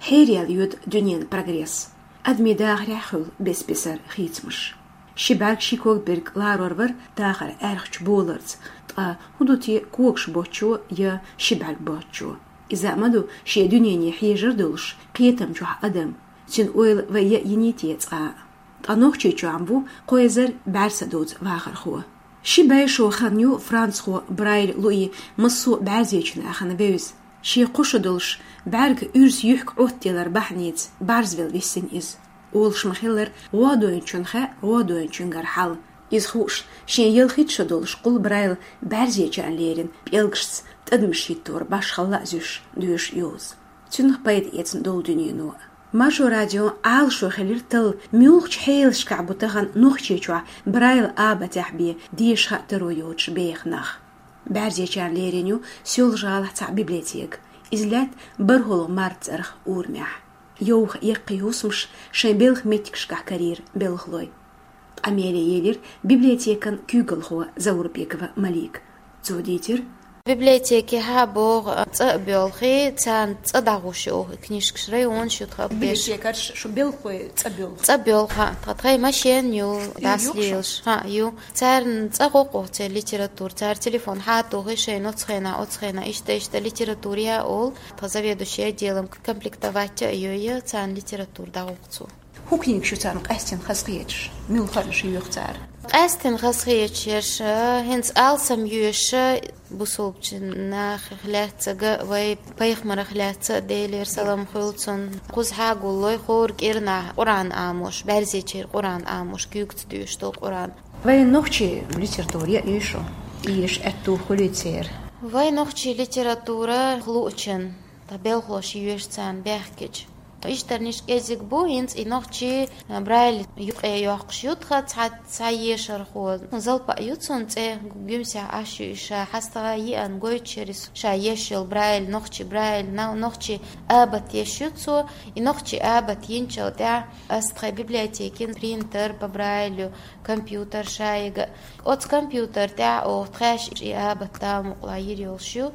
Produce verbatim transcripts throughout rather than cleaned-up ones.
Хьераел йода дуьненан прогресс. Адамийн дахарехь хуьлу бес-бесара хийцамаш. Ши бӀаьрг, ши ког берг ларор вара дахар аьрхачу боларца, ткъа хӀун ду те когаш боцчо я ши бӀаьрг боцчо? Иза а ма ду шен дуьнене хьежар долуш кхетам чохь адам, цуьнан ойла вай яа йиний те цкъа а? Ткъа Нохчийчохь-м ву кхо эзар бӀаьрса доцу вахархо. Ши бӀе шо хан ю францхо Брайль Луи массо а бӀаьрзечу нахана вевза. Шен кхо шо долуш бӀаьрг уьрса юьхкӀа Ӏоттаделар бахьаница бӀарзвелла виссина иза. Олуш ма-хиллара, гӀо дойначунна хаьа гӀо дойначуьнгара хьал. Иза хууш, шен ялхитта шо долуш кхул Брайль бӀаьрзечарна лерина пӀелгашца тӀадамаш хӀиттор башхалла а зуьйш доьшу йоза. Цуьнах пайда эцна долу дуьнено а. Маршо радион Ӏалашо хилира талла, муьлхачу хьелашкахь бу тахана Нохчийчохь Брайль абатехь бен деша хаа таро йоцуш беха нах. БӀаьрзечарна лерина ю Соьлжа-ГӀалахь цхьаъ библиотека. Иза лаьтта бархӀалгӀа март цӀарах урамехь. Йовха яккхий хӀусамаш шайн белхан меттигашкахь карийра белхалой. Къамеле елира библиотекан куьйгалхо Заурбекова Малика. Цо дийцира: Библиотекехь а боху, цӀа а боьлхий, царна цӀа дӀагӀуш ю оха и книжкаш, районаш ю тхан беш. Библиотекарш шу белхалой цӀа боьлху? ЦӀа боьлху, тхан тхайн машен ю, ю, дас юкъа шу лелаш. ХӀаъ, ю. Царна цӀа гӀо-кх оха церан литература, цара телефон хьатухий шайн оцу хенахь, оцу хенахь, иштта, иштта литература яа олу, тхан заведующий отделом комплектовать а йой, царна литература дӀагӀо-кх цо. ХӀун книгаш ю царна къаьстина хазахеташ? Муьлхарнаш йоьху цара? Къаьстина хазахеташ ерш, хӀинца алсам йоьшуш, бусулбачу нахах лаьцнага, вай пайхамарах лаьцна, Делера салам хуьлу цунна, кхузахь а гуллой хӀора кӀирнахь Къуръан Ӏамош, бӀаьрзечеран Къуръан Ӏамош, куьйгаца доьшуш долу Къуръан. Вайн нохчийн литература яа йиш ю, эша аьтту хуьлий церан? Вайн нохчийн литература луучун, тхан белхалоша йоьшу царна баьхкича. Ишттарниш кӀезиг бу, хӀинца и нохчийн, а, Брайль юкъе йоккхуш ю тхан цхьа, цхьа ешархо. Залпа ю цунна цӀе, Гуьмсехь Ӏаш ю и ша, хьастагӀа йиъна гойтуш яра иза ша еш йолу Брайль, нохчийн Брайль, на-, нохчийн абат еш ю цо. И нохчийн абат йинчул тӀаьхьа ас тхайн библиотекин принтер по Брайлю, компьютер шайга. Оцу компьютер тӀехь оха тхаьш и абат Дала мукъалахь йира йолуш ю.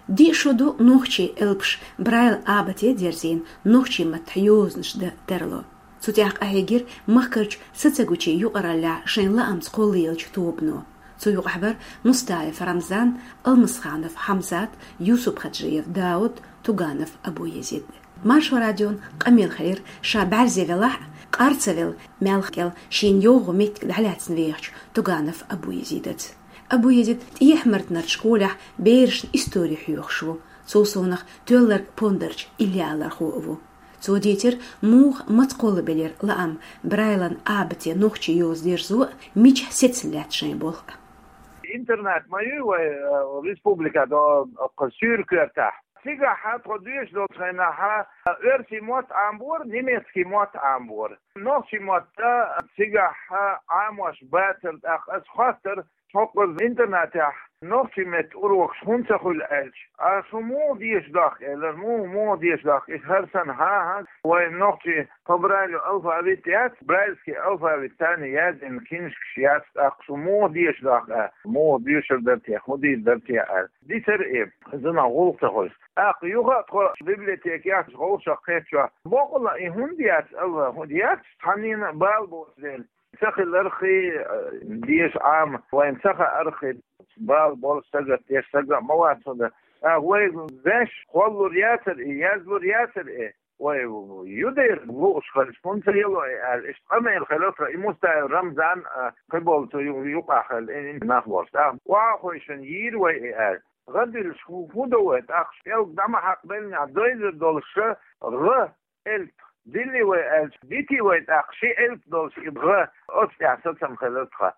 Диъ шо ду нохчийн элпаш Брайль абате дерзийна нохчийн маттахь йозанаш дан тарло. Цу тӀехь къахьегира махкарчу сацагучийн юкъараллехь шайн лаамца кхоллаеллачу тобано. Цу юкъахь бара Мустаев Рамзан, Алмасханов Хьамзат, Юсуп-Хаджиев Дауд, Туганов Абу-Езид. Маршо радион къамел хилира, ша бӀаьрзе велахь а, къар ца велла, маьлхан кӀел шена йовха меттиг дӀалаьцна вехачу Туганов Абу-Езидаца. Абу-Езид ТӀехьа-Мартанарчу школехь берашна истори хьоьхуш ву. Цул совнаха тоьлларг пондарчу иллиалархо а ву. Цо дийцира, муха, маца кхоллабелира лаам Брайлан абате нохчийн йоза дерзо а, мичахь сецна лаьтта шайн болх а. Интернет ма ю вай, э, республика до, э, суьркоьртахь. Цигахь тхо доьшуш долчу хенахь, э, оьрсийн мотт Ӏамбора, немецкий мотт Ӏамбора. Нохчийн мотт, э, цигахь, э, Ӏамош бацара, тӀаккха ас хоттара, хӀокхуза интернатехь нохчийн меттан урокаш хӀунда ца хуьлу аьлча, а шу муха деша дохку, элира, муха, муха деша дохку, и хӀара санна, хӀан-хӀа, вайн нохчийн по Брайлю алфавит яц, брайльский алфавит санна яздина книжкаш яц, тӀаккха шу муха деша дохку, а, муха доьшур дара те, хӀун дийр дара те, аьлла. Дисара и, зуна гӀуллакх ца хуьлуш. ТӀаккха юха а тхо библиотекехь вовшах кхетчохь, бакъала и хӀунда яц, алла, хӀунда яц, цхьаннена а бала боцу дела. Ца хиларх, э, деша Ӏама, вайна ца хаарх, бала болу стага, теш стага а ма вац хӀунда. А вай ваьш кхоллалур яцара и, яздалур яцара и. Вай ю дера лууш хилча, хӀунда ца ело и аьлла, иштта къамел хилира тхан, и Мустаев Рамзан, а, кхиболу цу ю-, юкъахь хилла, и, и нах болуш. ТӀаккха охьахойшина йийра вай и аьлла. ГӀа диллаш хӀу-, хӀун до вай, тӀаккха пӀелг дӀа ма хьакхабеллинехь, дойзар долуш гӀа элп диллий вай аьлча, дитий вай тӀаккха ши элп долуш и гӀа, оцу тӀехь сацам хилира тхан.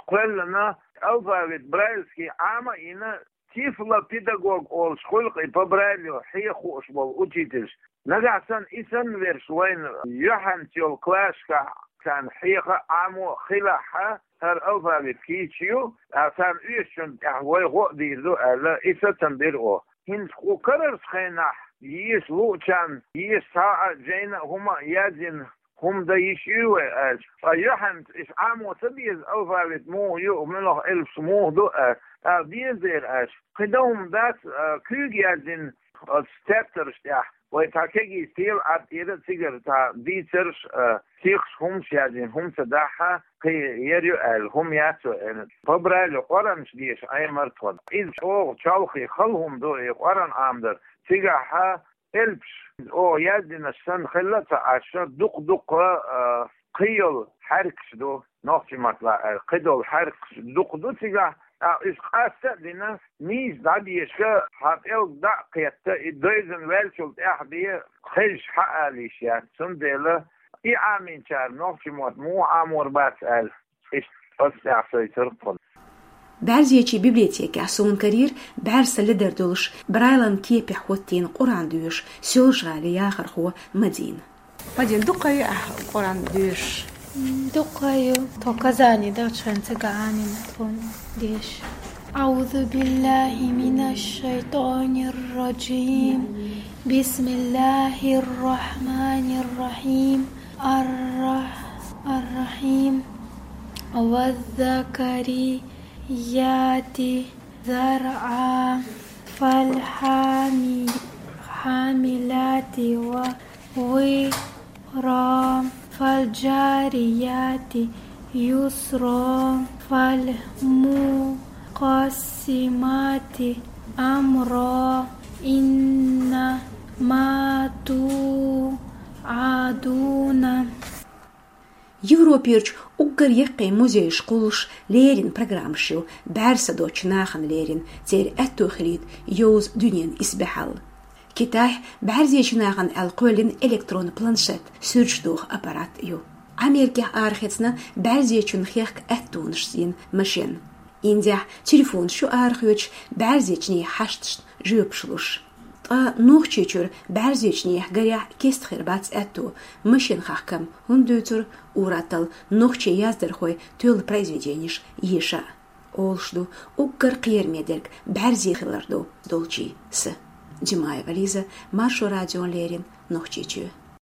Кхоьллина алфавит брайльский Ӏама а йина, тифлопедагог олуш хуьлу-кх и по Брайлю хьеха хууш болу учительш. Нагахь санна и санна верш вайна юьхьанца йолу классашкахь царна хьеха а, Ӏамо а хилахь, хӀара алфавит кийча ю, а царна оьшучунна тӀехь вай гӀо а дийр ду аьлла, и сацам бира оха. ХӀинца кху карарчу хенахь еша луучарна, еша цхьа а жайна а хӀума а яздина хӀума дан йиш ю вай аьлча, ткъа юьхьанца иштта Ӏамо ца беза алфавит муха ю, муьлха элпаш муха ду аьлла, тӀаккха деза дера аьлча, кхин дан хӀума дац, а, куьйга яздина оцу тептарш тӀехь. Вай цхьа кегий стел Ӏад тӀера цигара цхьа дийцарш, а, сихаш хӀумаш яздина, хӀума ца дахьа, кхин яр ю аьлла, хӀума яц вай аьнна. По Брайлю Къуръанаш деша Ӏемар тхона. Иза чӀогӀа чолхе хала хӀума ду, и Къуръан Ӏамадар. Цигахьа элпаш, оха яздинарш санна хилла а ца Ӏаш, дукха-дукха, а, кхы йолу хьаьркаш ду, нохчийн маттахь аьлча, кхидолу хьаьркаш дукха ду цигахь, тӀаккха уьш къаста а дина, нийса дӀадешаш, хьан пӀелг дӀа а кхетта, и девзина ваьллачул тӀаьхьа бен хезаш хьаала йиш яц. Цундела и Ӏамийнчара нохчийн мотт муха Ӏамор бац аьлла, иштта аса тӀехь шайца тхуна. БӀаьрзечийн библиотекехь суна карийра бӀаьрса ледара долуш, Брайлан кепехь хӀоттийна Къуръан доьшуш Соьлжа-ГӀалин яхархо Мадина. Мадина, дукха ю ахь Къуръан доьшуш? Дукха ю. Тхо Казани долчу хенахь цига Ӏамийна тхуна деша. أعوذ بالله من الشيطان الرجيم. بسم الله الرحمن الرحيم. الرح-، الرحيم. والذاريات ذروا. فالحامل-، حاملات وقرا. فالجاريات يسرا. فالمقسمات أمرا. إنما توعدون. Европерчу уггар яккхий музейш кхуллуш леррина программаш ю бӀаьрсадочу нахана леррина, церан аьтто хилийта йовза дуьненан исбаьхьалла. Китайхь бӀаьрзечу нахана аьлла кхоьллина электронан планшет, суьрташ доху аппарат ю. Америкехь арахецна бӀаьрзечун хехка аьттонаш йина машен. Индехь телефонаш ю арахоьцуш бӀаьрзечийн хьашташна жоьпаш луш. Ткъа Нохчийчуьра бӀаьрзечийн гарехь кеста хир бац аьтто машен хахкам, хӀунда дуьйцура ур-атталла нохчийн яздархойн тоьлла произведенеш еша а. Олуш ду, уггар кхераме дерг бӀаьрзе хилар ду долчийн са. Димаева Лиза, Маршо радиона леррина, Нохчийчоь.